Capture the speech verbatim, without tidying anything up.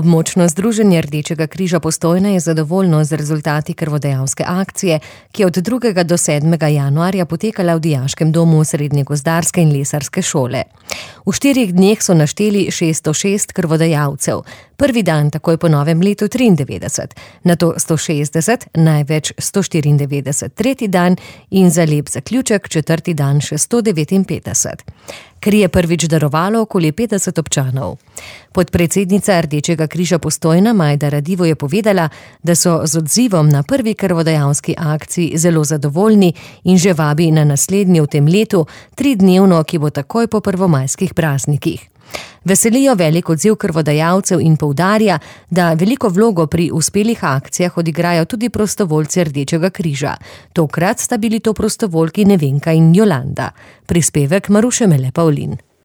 Območno združenje Rdečega križa Postojna je zadovoljno z rezultati krvodajalske akcije, ki je od drugega do sedmega januarja potekala v Dijaškem domu Srednje gozdarske in lesarske šole. V štirih dneh so našteli šeststo šest krvodajalcev. Prvi dan takoj po novem letu triindevetdeset, nato sto šestdeset, največ sto štiriindevetdeset tretji dan in za lep zaključek četrti dan še sto devetinpetdeset. Kri je prvič darovalo okoli petdeset občanov. Podpredsednica Rdečega križa Postojna Majda Radivo je povedala, da so z odzivom na prvi krvodajalski akciji zelo zadovoljni in že vabi na naslednji v tem letu, tridnevno, ki bo takoj po prvomajskih praznikih. Veselijo velik odziv krvodajalcev in poudarja, da veliko vlogo pri uspelih akcijah odigrajo tudi prostovoljci Rdečega križa. Tokrat sta bili to prostovoljki Nevenka in Jolanda. Prispevek Maruše Mele Pavlin.